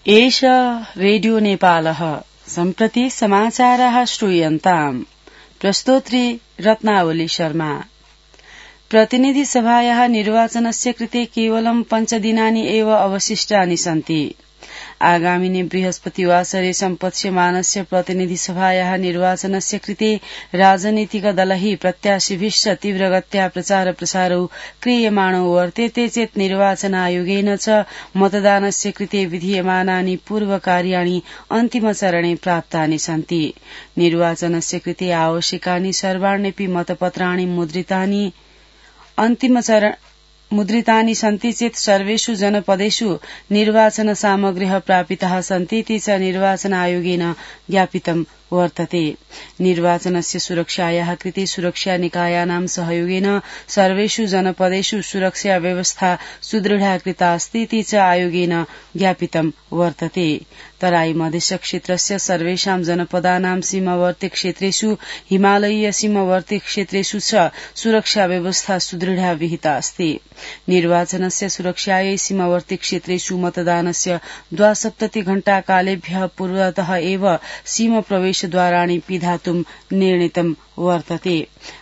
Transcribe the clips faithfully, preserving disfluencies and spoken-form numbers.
एष रेडियो नेपालः सम्प्रति समाचाराः श्रूयन्ताम्। प्रस्तोत्री रत्नावली शर्मा। प्रतिनिधि सभायाः निर्वाचनस्य कृते केवलं पञ्चदिनानि एव अवशिष्टानि सन्ति। आगामिनि बृहस्पतिवासरे सम्पत्स्यमानस्य प्रतिनिधि सभायाः निर्वाचनस्य कृते राजनीतिक दलैः प्रत्याशिभिश्च तीव्रगत्या प्रचार प्रसारौ क्रियमाणौ वर्तेते चेत् निर्वाचन आयोगेन च मतदानस्य कृते विधीयमानानि पूर्वकार्याणि अन्तिमचरणे प्राप्तानि सन्ति। निर्वाचनस्य कृते आवश्यकानि सर्वाण्यपि मतपत्राणि मुद्रितानि अन्तिमचरण मुद्रितानि सन्ति चेत् सर्वेषु जनपदेषु निर्वाचन सामग्र्यः प्रापिताः सन्तीति च निर्वाचन आयोगेन ज्ञापितं वर्तते। निर्वाचनस्य सुरक्षायाः कृते सुरक्षा निकायानां सहयोगेन सर्वेषु जनपदेषु सुरक्षा व्यवस्था सुदृढा कृता अस्तीति च आयोगेन ज्ञापितं वर्तते। तराई मधेश क्षेत्रस्य सर्वेषां जनपदानां सीमावर्ती क्षेत्रेषु हिमालयीय सीमावर्ती क्षेत्रेषु च सुरक्षा व्यवस्था सुदृढा विहिता अस्ति। निर्वाचनस्य सुरक्षायै सीमावर्ती क्षेत्रेषु मतदानस्य द्वासप्तति घण्टा कालेभ्यः पूर्वतः एव सीमा प्रवेशद्वाराणि पिधातुं निर्णीतं वर्तते।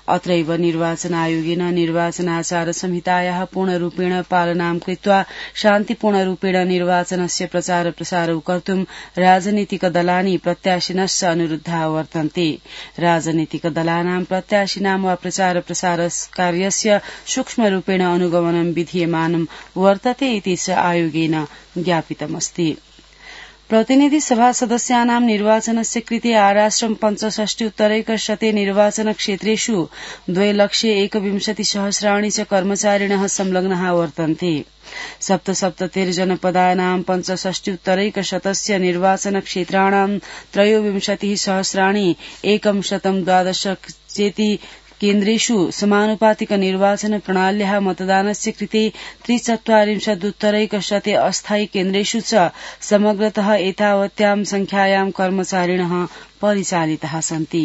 अत्रैव निर्वाचन आयोगेन निर्वाचनाचार संहितायाः पूर्णरूपेण पालनां कृत्वा शान्तिपूर्णरूपेण निर्वाचनस्य प्रचार प्रसारौ कर्तुं राजनीतिक दलानि प्रत्याशिनश्च अनुरुद्धा वर्तन्ते। राजनीतिक दलानां प्रत्याशिनां वा प्रचार प्रसार कार्यस्य सूक्ष्मरूपेण अनुगमनं विधीयमानं वर्तते इति च आयोगेन ज्ञापितमस्ति। प्रतिनिधि सभा सदस्यानां निर्वाचनस्य कृते आराष्ट्रं पञ्चषष्टिोत्तरैकशते निर्वाचन क्षेत्रेषु द्वे लक्षे एकविंशति सहस्राणि च कर्मचारिणः संलग्नाः वर्तन्ते। सप्तसप्ततिर्जनपदानां पञ्चषष्टिोत्तरैकशतस्य निर्वाचन क्षेत्राणां त्रयोविंशतिः सहस्राणि एकं शतं द्वादश चेति केन्द्रेषु समानुपातिक निर्वाचन प्रणाल्याः मतदानस्य कृते त्रिचत्वारिंशदुत्तरैकशते अस्थायी केन्द्रेषु च समग्रतः एतावत्यां संख्यायां कर्मचारिणः परिचालिताः सन्ति।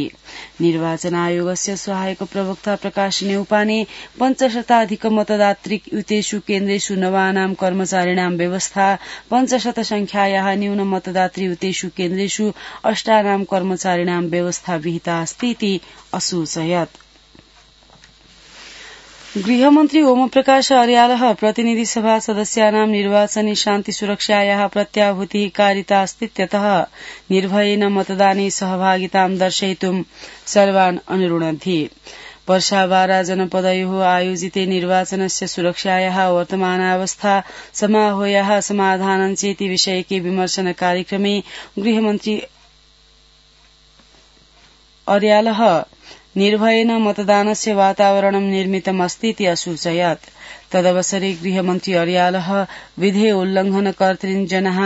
निर्वाचन आयोगस्य सहायक प्रवक्ता प्रकाश न्यौपाने पञ्चशताधिक मतदातृ युतेषु केन्द्रेषु नवानां कर्मचारिणां व्यवस्था पञ्चशत संख्यायाः न्यून मतदातृ युतेषु केन्द्रेषु अष्टानां कर्मचारिणां व्यवस्था विहिता अस्ति इति असूचयत्। गृहमन्त्री ओमप्रकाश अर्यालः प्रतिनिधि सभा सदस्यानां निर्वाचने शान्ति सुरक्षायाः प्रत्याभूतिः कारिता अस्तीत्यतः निर्भयेन मतदाने सहभागितां दर्शयितुं सर्वान् अनुरुणद्धि। पर्साबारा जनपदयोः आयोजिते निर्वाचनस्य सुरक्षायाः वर्तमानावस्था समाहोयाः समाधानं चेति विषयके विमर्शन कार्यक्रमे गृहमन्त्री अर्यालः निर्भयेन मतदानस्य वातावरणं निर्मितमस्तीति असूचयत्। तदवसरे गृहमन्त्री अर्यालः विधेय उल्लङ्घनकर्तॄन् जनाः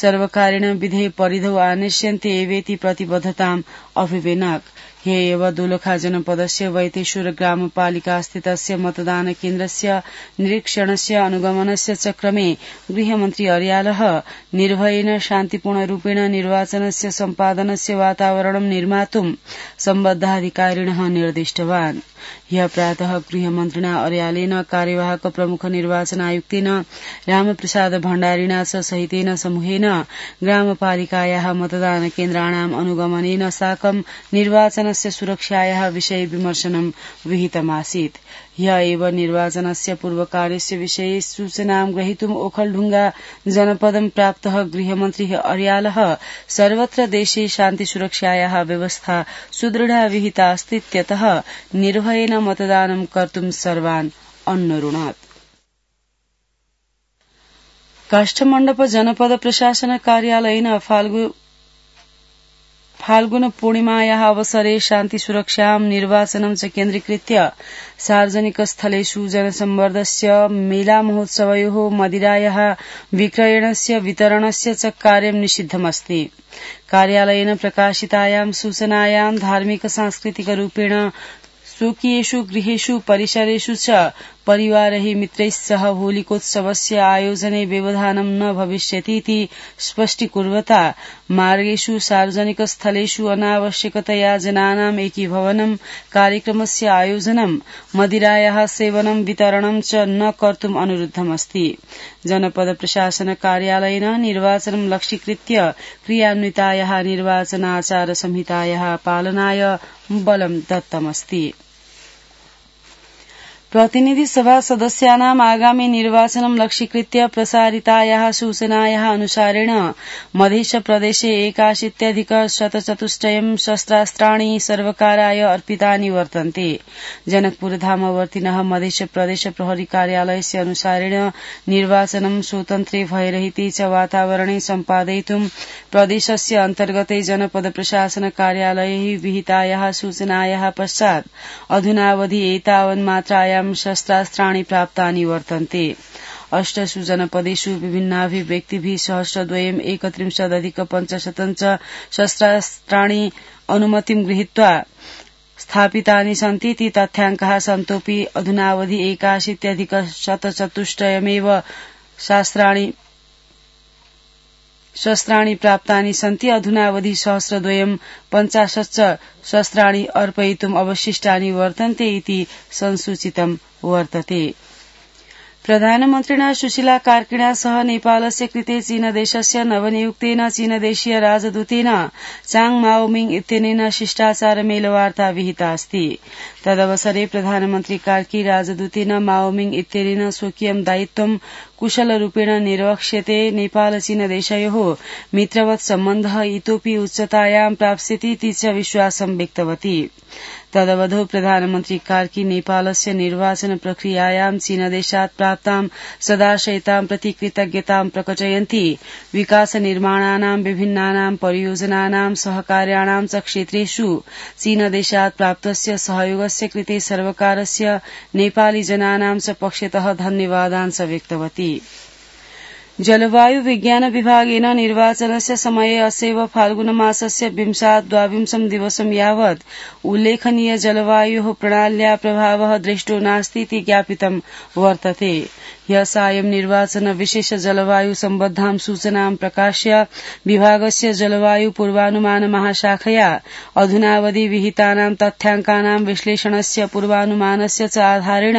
सर्वकारेण विधेय परिधौ आनेष्यन्ते एवेति प्रतिबद्धताम् अभिवेनक्। ह्य एव दोलखा जनपदस्य वैतेश्वर ग्रामपालिका स्थितस्य मतदान केन्द्रस्य निरीक्षणस्य अनुगमनस्य च क्रमे गृहमन्त्री अर्यालः निर्भयेन शान्तिपूर्णरूपेण निर्वाचनस्य सम्पादनस्य वातावरणं निर्मातुं सम्बद्धाधिकारिणः निर्दिष्टवान्। ह्यः प्रातः गृहमन्त्रिणा अर्यालेन कार्यवाहक प्रमुख निर्वाचन आयुक्तेन रामप्रसाद भण्डारिणा च सहितेन समूहेन ग्रामपालिकायाः मतदान केन्द्राणाम् अनुगमनेन साकं निर्वाचनस्य सुरक्षायाः विषये विमर्शनं विहितमासीत्। ह्यः एव निर्वाचनस्य पूर्वकार्यस्य विषये सूचनां ग्रहीतुम् ओखलढुंगा जनपदं प्राप्तः गृहमन्त्री अर्यालः सर्वत्र देशे शान्ति सुरक्षायाः व्यवस्था सुदृढा विहिता अस्तीत्यतः निर्भयेन मतदानं कर्तुं सर्वान् अन्नरुणत्। काष्ठमण्डप जनपद प्रशासन कार्यालयेन फाल्गु फाल्गुन पूर्णिमायाः अवसरे शान्ति सुरक्षां निर्वाचनं च केन्द्रीकृत्य सार्वजनिक स्थलेषु जनसम्वर्धस्य मेला महोत्सवयोः मदिरायाः विक्रयणस्य वितरणस्य च कार्यं निषिद्धमस्ति। कार्यालयेन प्रकाशितायां सूचनायां धार्मिक सांस्कृतिक रूपेण स्वकीयेषु गृहेषु परिसरेषु च परिवारैः मित्रैः सह होलिकोत्सवस्य आयोजने व्यवधानं न भविष्यतीति स्पष्टीकुर्वता मार्गेषु सार्वजनिकस्थलेषु अनावश्यकतया जनानाम् एकीभवनं कार्यक्रमस्य आयोजनं मदिरायाः सेवनं वितरणं च न कर्तुम् अनुरुद्धमस्ति। जनपद प्रशासन कार्यालयेन निर्वाचनं लक्ष्यीकृत्य क्रियान्वितायाः निर्वाचनाचार संहितायाः पालनाय बलं दत्तमस्ति। प्रतिनिधि सभा सदस्यानाम् आगामि निर्वाचनं लक्ष्यीकृत्य प्रसारितायाः सूचनायाः अनुसारेण मध्य प्रदेशे एकाशीत्यधिक शतचतुष्टयं शस्त्रास्त्राणि सर्वकाराय अर्पितानि वर्तन्ते। जनकपुरधामवर्तिनः मध्य प्रदेश प्रहरी कार्यालयस्य अनुसारेण निर्वाचनं स्वतन्त्रे भयरहिते च वातावरणे सम्पादयितुं प्रदेशस्य अन्तर्गते जनपद प्रशासन कार्यालयैः विहितायाः सूचनायाः पश्चात् अधुनावधि एतावन्मात्रायां शस्त्रास्त्राणि प्राप्तानि वर्तन्ते। अष्टसु जनपदेषु विभिन्नाभिव्यक्तिभिः सहस्रद्वयम् एकत्रिंशदधिक पञ्चशतं च शस्त्रास्त्राणि अनुमतिं गृहीत्वा स्थापितानि सन्ति इति तथ्याङ्कः सन्तोऽपि अधुनावधि एकाशीत्यधिक शतचतुष्टयमेव शास्त्राणि शस्त्राणि प्राप्तानि सन्ति। अधुनावधि सहस्रद्वयम् पञ्चाशत् शस्त्राणि अर्पयितुम् अवशिष्टानि वर्तन्ते इति संसूचितं वर्तते। प्रधानमन्त्रिणा सुशीला कार्किणा सह नेपालस्य कृते चीनदेशस्य नवनियुक्तेन चीनदेशीय राजदूतेन चाङ माओमिङ इत्यनेन शिष्टाचार मेलवार्ता विहिता अस्ति। तदवसरे प्रधानमन्त्री कार्की राजदूतेन माओमिङ इत्यनेन स्वकीयं दायित्वं कुशलरूपेण निर्वक्ष्यते नेपाल चीनदेशयोः मित्रवत् सम्बन्धः इतोऽपि उच्चतायां प्राप्स्यति इति च विश्वासं व्यक्तवती। तदवधौ प्रधानमन्त्री कार्की नेपालस्य निर्वाचन प्रक्रियायां चीनदेशात् प्राप्तां सदाशयतां प्रति कृतज्ञतां प्रकटयन्ती विकास निर्माणानां विभिन्नानां परियोजनानां सहकार्याणां च क्षेत्रेषु चीनदेशात् प्राप्तस्य सहयोगस्य कृते सर्वकारस्य नेपाली जनानां च पक्षतः धन्यवादान् च व्यक्तवती। जलवायु विज्ञान विभागेन निर्वाचनस्य समये अस्यैव फाल्गुनमासस्य विंशात् द्वाविंशं दिवसं यावत् उल्लेखनीय जलवायोः प्रणाल्या प्रभावः दृष्टो नास्ति इति ज्ञापितं वर्तते। ह्यः सायं निर्वाचन विशेष जलवायु सम्बद्धां सूचनां प्रकाश्य विभागस्य जलवायु पूर्वानुमान महाशाखया अधुनावधि विहितानां तथ्याङ्कानां विश्लेषणस्य पूर्वानुमानस्य च आधारेण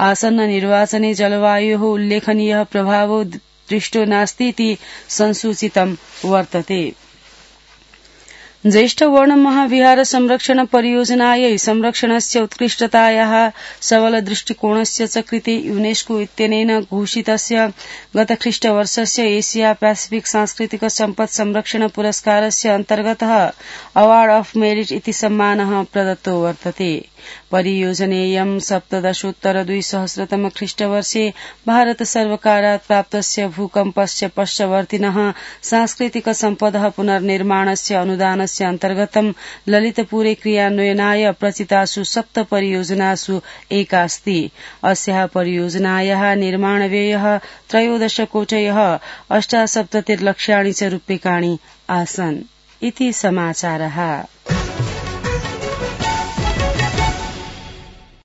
आसन्न निर्वाचने जलवायोः उल्लेखनीयः प्रभावो दृष्टो नास्ति इति संसूचितं वर्तते। ज्येष्ठ वर्ण महाविहार संरक्षण परियोजनायै संरक्षणस्य उत्कृष्टतायाः सबल दृष्टिकोणस्य च कृते यूनेस्को इत्यनेन घोषितस्य गतख्रीष्टवर्षस्य एशिया पैसिफिक सांस्कृतिक सम्पत् संरक्षण पुरस्कारस्य अन्तर्गतः अवार्ड ऑफ मेरिट इति सम्मानः प्रदत्तो वर्तते। परियोजनेयं सप्तदशोत्तर द्विसहस्रतम ख्रीष्टवर्षे भारत सर्वकारात् प्राप्तस्य भूकम्पस्य पश्चवर्तिनः सांस्कृतिक सम्पदः पुनर्निर्माणस्य अनुदानस्य अन्तर्गतं ललितपुरे क्रियान्वयनाय प्रचितासु सप्त परियोजनासु एका अस्ति। अस्याः परियोजनायाः निर्माणव्ययः त्रयोदश कोटयः अष्टासप्ततिर्लक्ष्याणि च रूप्यकाणि आसन् इति समाचारः।